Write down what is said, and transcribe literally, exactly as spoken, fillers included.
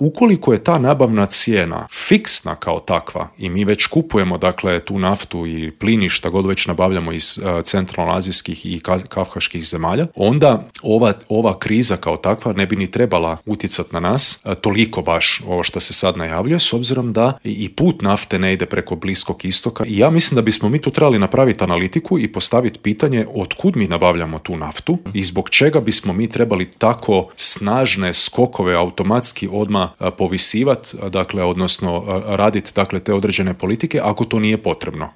ukoliko je ta nabavna cijena fiksna kao takva i mi već kupujemo dakle tu naftu i plin i šta god već nabavljamo iz uh, centralnoazijskih i kavkaških zemalja, onda ova, ova kriza kao takva ne bi ni trebala utjecati na nas uh, toliko baš ovo što se sad najavljuje, s obzirom da i put nafte ne ide preko Bliskog istoka. I ja mislim da bismo mi tu trebali napraviti analitiku i postaviti pitanje otkud mi nabavljamo tu naftu i zbog čega bismo mi trebali tako snažne skokove automatski odmah uh, povisivati, dakle, odnosno uh, raditi dakle, te određene politike ako to nije potrebno.